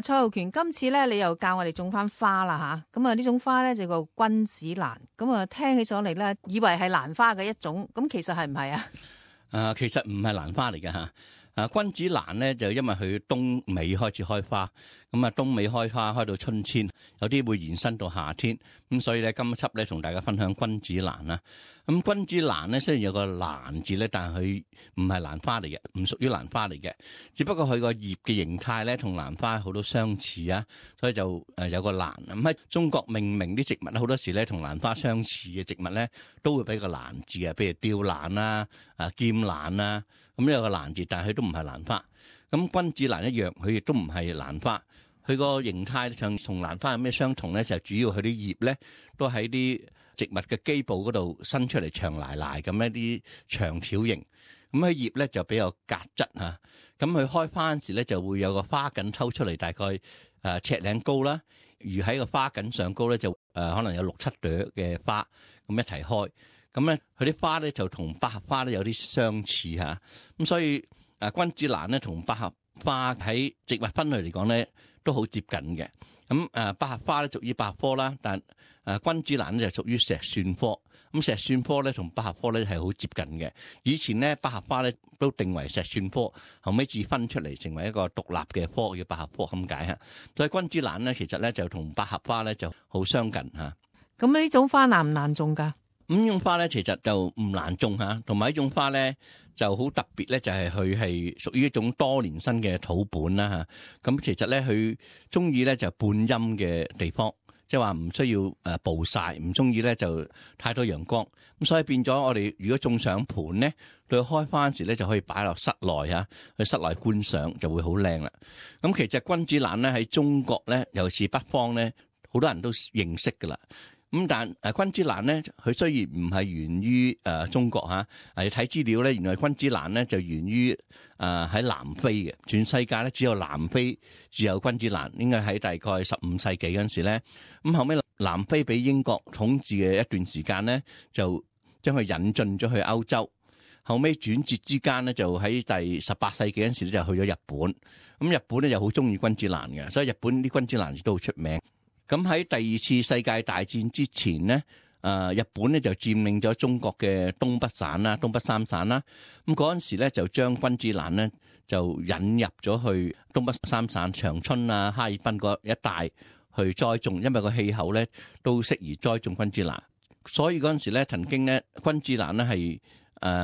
蔡浩權，今次咧你又教我哋種翻花啦吓，咁啊呢種花咧就叫君子蘭，咁啊聽起咗嚟咧，以為係蘭花嘅一種，咁其實係唔係啊？其實唔係蘭花嚟嘅吓。君子蘭咧就因為佢冬尾開始開花，咁啊冬尾開花開到春天，有啲會延伸到夏天，咁所以咧今輯咧同大家分享君子蘭啦。咁君子蘭咧雖然有個蘭字咧，但係佢唔係蘭花嚟嘅，唔屬於蘭花嚟嘅，只不過佢個葉嘅形態咧同蘭花好多相似啊，所以就有個蘭。咁喺中國命名啲植物咧，好多時咧同蘭花相似嘅植物咧都會俾個蘭字嘅，譬如吊蘭啦、劍蘭啦。咁有個蘭字，但係佢都唔係蘭花。咁君子蘭一樣，佢亦都唔係蘭花。佢個形態上同蘭花有咩相同咧？就主要佢啲葉咧都喺啲植物嘅基部嗰度伸出嚟長賴賴咁一啲長條形。咁佢葉咧就比較夾質嚇。咁佢開花嗰時咧就會有個花梗抽出嚟，大概尺零高啦。而喺個花梗上高咧就可能有6-7朵嘅花咁一齊開。咁咧，佢啲花咧就同百合花咧有啲相似嚇，咁所以君子蘭咧同百合花喺植物分類嚟講咧都好接近嘅。咁百合花咧屬於百合科啦，但君子蘭咧就屬於石蒜科。咁石蒜科咧同百合科咧係好接近嘅。以前咧百合花咧都定為石蒜科，後尾至分出嚟成為一個獨立嘅科叫百合科咁解嚇。所以君子蘭咧其實咧就同百合花咧就好相近嚇。咁呢種花難唔難種㗎？呢種花咧，其實就唔難種嚇，同埋呢種花咧就好特別咧，就係佢係屬於一種多年生嘅土本啦嚇。咁其實咧，佢中意咧就半陰嘅地方，即係話唔需要暴曬，唔中意咧就太多陽光。咁所以變咗我哋如果種上盤咧，到開花時咧就可以擺落室內嚇，去室內觀賞就會好靚啦。咁其實君子蘭咧喺中國咧，尤其是北方咧，好多人都認識噶啦。咁但君子蘭咧，佢雖然唔係源於中國嚇，睇資料咧，原來君子蘭咧就源於喺南非嘅，全世界咧只有南非只有君子蘭，應該喺大概15世紀嗰陣時咧，咁後尾南非俾英國統治嘅一段時間咧，就將佢引進咗去歐洲，後尾轉折之間咧，就喺第18世紀嗰陣時咧就去咗日本，咁日本咧又好中意君子蘭嘅，所以日本啲君子蘭亦都好出名。咁喺第2次世界大戰之前咧，日本咧就佔領咗中國嘅東北省啦、東北三省啦。咁嗰陣時咧就將君子蘭咧就引入咗去東北三省長春啊、哈爾濱嗰一帶去栽種，因為個氣候咧都適宜栽種君子蘭。所以嗰陣時咧曾經咧君子蘭咧係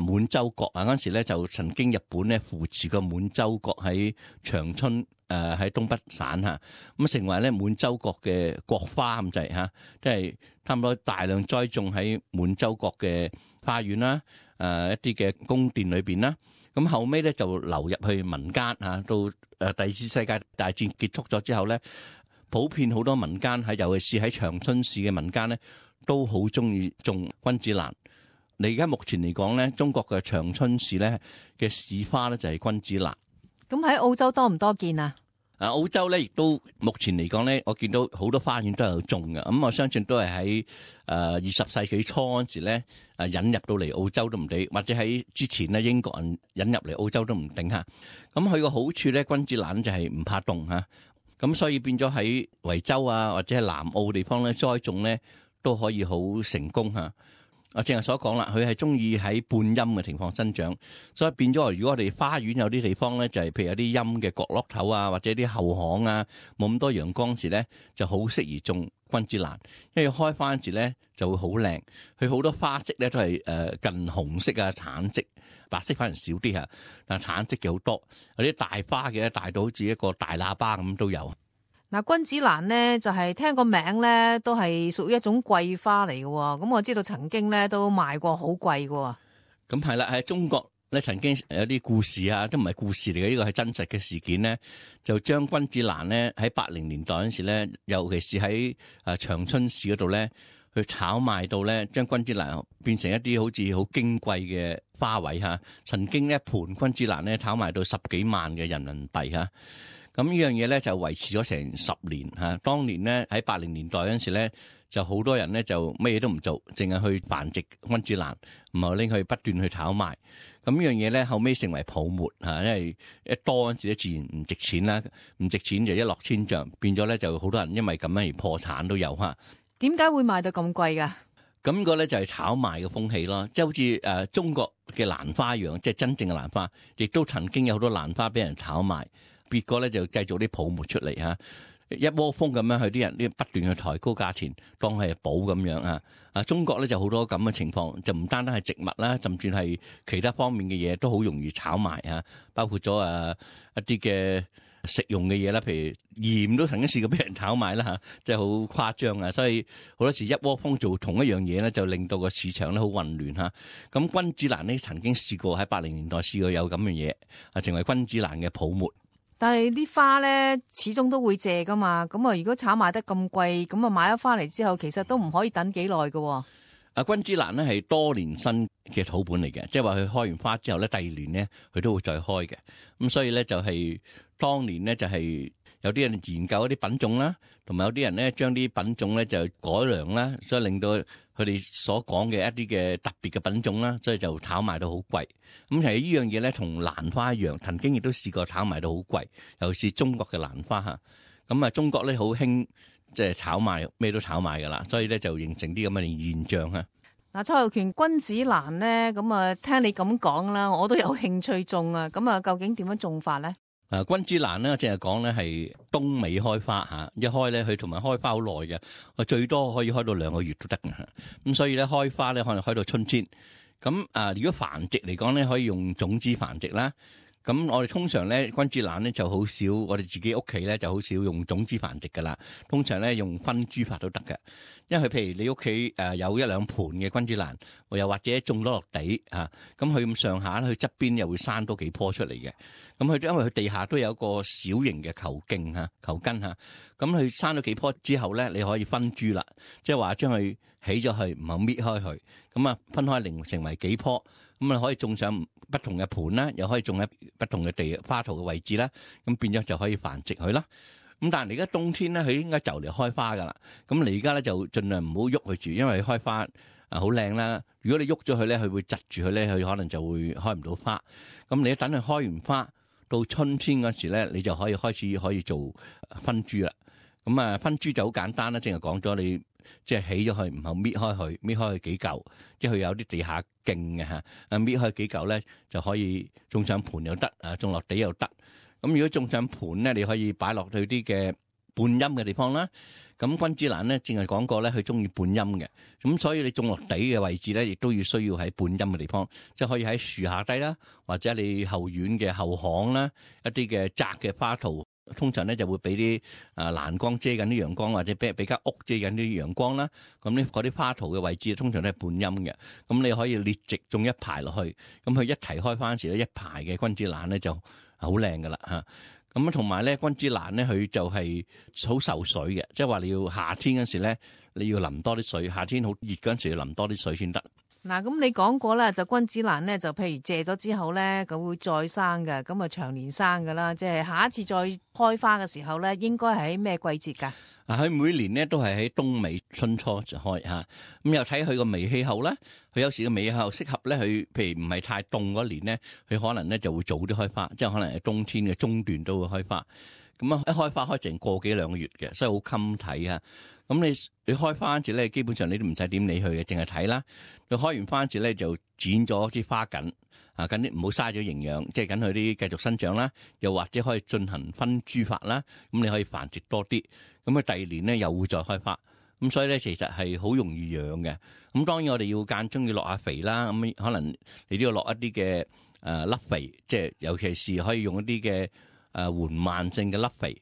滿洲國啊，嗰陣時咧就曾經日本咧扶持個滿洲國喺長春。喺東北省嚇，咁成為咧滿洲國嘅國花咁滯嚇，即係差唔多大量栽種喺滿洲國嘅花園啦，一啲嘅宮殿裏邊啦。咁後尾咧就流入去民間嚇，到第2次世界大戰結束咗之後咧，普遍好多民間喺，尤其是喺長春市嘅民間咧，都好中意種君子蘭。你而家目前嚟講咧，中國嘅長春市咧嘅市花咧就係君子蘭。咁喺澳洲多唔多見啊？澳洲咧亦都目前嚟講咧，我見到好多花園都有種嘅。咁我相信都係喺20世紀初嗰時咧引入到嚟澳洲都唔定，或者喺之前咧英國人引入嚟澳洲都唔定嚇。咁佢個好處咧，君子蘭就係唔怕凍嚇。咁所以變咗喺維州啊或者係南澳地方咧栽種咧都可以好成功嚇。我正係所講啦，佢係中意喺半陰嘅情況生長，所以變咗如果我哋花園有啲地方咧，就係譬如有啲陰嘅角落頭啊，或者啲後巷啊，冇咁多陽光時咧，就好適宜種君子蘭，因為開花時咧就會好靚。佢好多花色咧都係近紅色啊、橙色，白色反而少啲嚇，但係橙色嘅好多。有啲大花嘅大到好似一個大喇叭咁都有。嗱，君子蘭咧就係聽個名咧都係屬於一種貴花嚟嘅，咁我知道曾經咧都賣過好貴嘅。咁係啦，喺中國咧曾經有啲故事啊，都唔係故事嚟嘅，呢個係真實嘅事件咧，就將君子蘭咧喺80年代嗰時咧，尤其是喺長春市嗰度咧，去炒賣到咧，將君子蘭變成一啲好似好矜貴嘅花卉嚇。曾經一盤君子蘭咧炒賣到10幾萬嘅人民幣嚇。咁呢樣嘢咧就維持咗成10年嚇。當年咧喺80年代嗰陣時咧，就好多人咧就乜嘢都唔做，淨係去繁殖君子蘭，然後拎去不斷去炒賣。咁呢樣嘢咧後尾成為泡沫嚇，因為一多嗰陣時咧自然唔值錢啦，唔值錢就一落千丈，變咗咧就好多人因為咁樣而破產都有嚇。點解會賣到咁貴㗎？咁個咧就係炒賣嘅風氣咯，即係好似中國嘅蘭花一樣，即係真正嘅蘭花，亦都曾經有好多蘭花俾人炒賣，別個咧就製造啲泡沫出嚟嚇，一窩蜂咁樣去啲人啲不斷去抬高價錢，當係寶咁樣嚇。中國咧就好多咁嘅情況，就唔單單係植物啦，甚至係其他方面嘅嘢都好容易炒賣嚇，包括咗一啲嘅食用嘅嘢啦，譬如鹽都曾經試過俾人炒賣啦嚇，即係好誇張啊！所以好多時一窩蜂做同一樣嘢咧，就令到個市場咧好混亂嚇。咁君子蘭呢曾經試過喺80年代試過有咁嘅嘢，成為君子蘭嘅泡沫。但係啲花咧始終都會謝噶嘛，咁啊如果炒賣得咁貴，咁啊買咗翻嚟之後，其實都唔可以等幾耐㗎。君子蘭咧係多年生嘅土本嚟嘅，即係話佢開完花之後咧，第二年咧佢都會再開嘅。咁所以咧就係當年咧就係有啲人研究一啲品種啦，同埋有啲人咧將啲品種咧就改良啦，所以令到佢哋所講嘅一啲嘅特別嘅品種啦，所以就炒賣到好貴。咁其實呢樣嘢咧同蘭花一樣，曾經亦都試過炒賣到好貴，尤其是中國嘅蘭花嚇。咁中國咧好興即係炒賣，咩都炒賣噶啦，所以咧就形成啲咁嘅現象啊。嗱，蔡浩權，君子蘭咧，咁啊聽你咁講啦，我都有興趣種啊。咁啊，究竟點樣種法咧？君子蘭咧，淨係講咧係冬尾開花嚇，一開咧佢同埋開花好耐嘅，我最多可以開到2個月都得嘅。咁所以咧開花咧可能開到春天。咁如果繁殖嚟講咧，可以用種子繁殖啦。咁我哋通常咧君子蘭咧就好少，我哋自己屋企咧就好少用種子繁殖噶啦。通常咧用分株法都得嘅，因為譬如你屋企有1-2盆嘅君子蘭，又或者種咗落地咁佢咁上下咧，佢側邊又會生多幾棵出嚟嘅。咁佢因為佢地下都有一個小型嘅球莖球根咁佢生咗幾棵之後咧，你可以分株啦，即係話將佢起咗去，唔好搣開佢，咁分開成為幾棵。咁可以種上不同嘅盤啦，又可以種喺不同嘅花圖嘅位置啦，咁變咗就可以繁殖佢啦。咁但係而家冬天咧，佢應該就嚟開花噶啦。咁你而家咧就盡量唔好喐佢住，因為開花好靚啦。如果你喐咗佢咧，佢會窒住佢咧，佢可能就會開唔到花。咁你一等佢開完花，到春天嗰時咧，你就可以開始可以做分株啦。咁分株就好簡單啦，淨係講咗你。即係起咗佢，唔好搣開佢幾嚿，即係佢有啲地下徑嘅嚇，搣開幾嚿咧就可以種上盤又得，種落地又得。咁如果種上盤咧，你可以擺落去啲嘅半陰嘅地方啦。咁君子蘭咧，淨係講過咧，佢中意半陰嘅，咁所以你種落地嘅位置咧，亦都要需要喺半陰嘅地方，即係可以喺樹下低啦，或者你後院嘅後巷啦，一啲嘅窄嘅花圖。通常咧就會俾啲欄杆遮緊啲陽光，或者俾間屋遮緊啲陽光啦。咁呢嗰啲花圖嘅位置通常都係半陰嘅。咁你可以列直種一排落去，咁佢一齊開翻時咧，一排嘅君子蘭咧就好靚噶啦嚇。咁同埋咧君子蘭咧佢就係好受水嘅，即係話你要夏天嗰時咧你要淋多啲水，夏天好熱嗰陣時要淋多啲水先得。嗱，咁你講過啦，就君子蘭咧，就譬如謝咗之後咧，佢會再生嘅，咁啊長年生噶啦，即係下一次再開花嘅時候咧，應該係喺咩季節㗎？佢每年咧都係喺冬尾春初就開嚇，咁又睇佢個微氣候啦。佢有時個微氣候適合咧，佢譬如唔係太凍嗰年咧，佢可能咧就會早啲開花，即係可能係冬天嘅中段都會開花。咁一開花開成個幾兩個月嘅，所以好襟睇啊！咁你開花嗰時咧，基本上你都唔使點理佢嘅，淨係睇啦。佢開完花嗰時咧，就剪咗啲花梗緊啲唔好嘥咗營養，即係緊佢啲繼續生長啦。又或者可以進行分株法啦，咁你可以繁殖多啲。咁佢第二年咧又會再開花。咁所以咧其實係好容易養嘅。咁當然我哋要間中要落下肥啦。咁可能你都要落一啲嘅粒肥，即係尤其是可以用一啲嘅緩慢性嘅粒肥，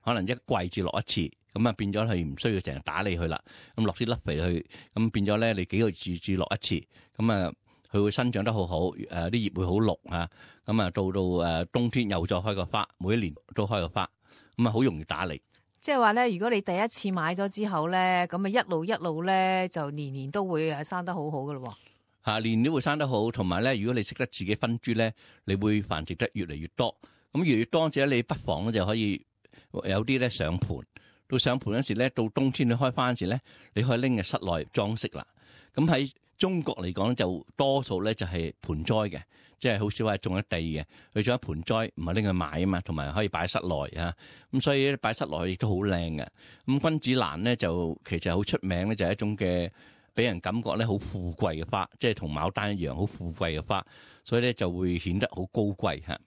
可能一季至落一次。咁變咗係唔需要成日打理佢啦。咁落啲粒肥去，咁變咗咧，你幾個月至落一次。咁佢會生長得好好，啲葉會好綠啊。咁到冬天又再開個花，每一年都開個花，咁好容易打理。即係話咧，如果你第一次買咗之後咧，咁一路咧就年年都會生得好好噶咯。年年都會生得好，同埋咧，如果你識得自己分株咧，你會繁殖得越嚟越多。咁越嚟越多，或者你不妨咧就可以有啲咧上盤。到上盤嗰時咧，到冬天你開花嗰時咧，你可以拎入室內裝飾啦。咁喺中國嚟講就多數咧就係盆栽嘅，即係好少話種喺地嘅，佢種喺盆栽，唔係拎去賣啊嘛，同埋可以擺喺室內啊。咁所以擺室內亦都好靚嘅。咁君子蘭咧就其實好出名咧，就係一種嘅俾人感覺咧好富貴嘅花，即係同牡丹一樣好富貴嘅花，所以咧就會顯得好高貴嚇。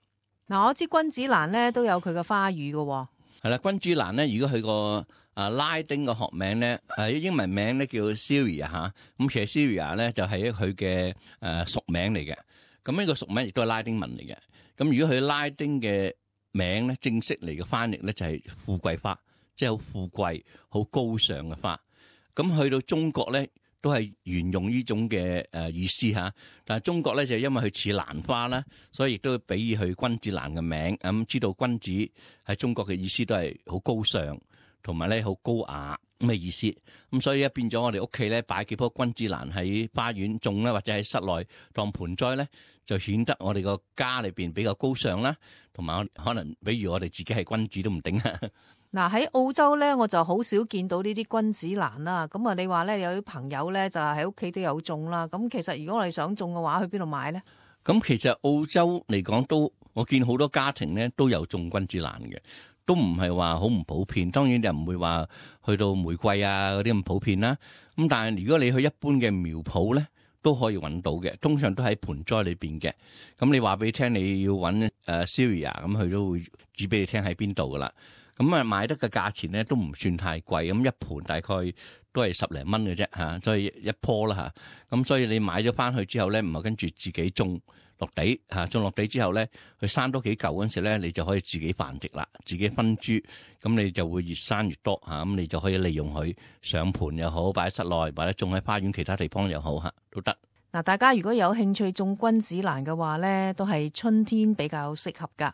嗱，我知君子蘭咧都有佢嘅花語嘅喎。係啦，君子蘭咧，如果佢個拉丁嘅學名咧，英文名咧叫 Cereus 嚇，咁其實 Cereus 咧就係佢嘅屬名嚟嘅。咁呢個屬名亦都係拉丁文嚟嘅。咁如果佢拉丁嘅名咧，正式嚟嘅翻譯咧就係富貴花，即係好富貴、好高尚嘅花。咁去到中國咧，都係沿用呢種嘅意思嚇。但係中國咧就因為佢似蘭花啦，所以亦都俾佢君子蘭嘅名。咁知道君子喺中國嘅意思都係好高尚，同埋咧好高雅咁嘅意思。咁所以一變咗我哋屋企咧擺幾棵君子蘭喺花園種啦，或者喺室內當盆栽咧，就顯得我哋個家裏邊比較高尚啦，同埋可能比如我哋自己係君主都唔定啊。嗱，喺澳洲咧，我就好少見到呢啲君子蘭啦。咁啊，你話咧有啲朋友咧就係喺屋企都有種啦。咁其實如果我哋想種嘅話，去邊度買咧？咁其實澳洲嚟講都，我見好多家庭咧都有種君子蘭嘅，都唔係話好唔普遍。當然就唔會話去到玫瑰啊嗰啲咁普遍啦。咁但係如果你去一般嘅苗圃咧，都可以揾到嘅，通常都喺盆栽裏邊嘅。咁你話俾你聽，你要揾Cereus，咁佢都會指俾你聽喺邊度噶啦。咁啊，買得嘅價錢咧都唔算太貴，咁一盤大概都係10零蚊嘅啫嚇，所以一棵啦嚇。咁所以你買咗翻去之後咧，唔係跟住自己種落地嚇，種落地之後咧，佢生多幾嚿嗰陣時咧，你就可以自己繁殖啦，自己分株，咁你就會越生越多嚇，咁你就可以利用佢上盤又好，擺喺室內或者種喺花園其他地方又好嚇，都得。嗱，大家如果有興趣種君子蘭嘅話咧，都係春天比較適合㗎。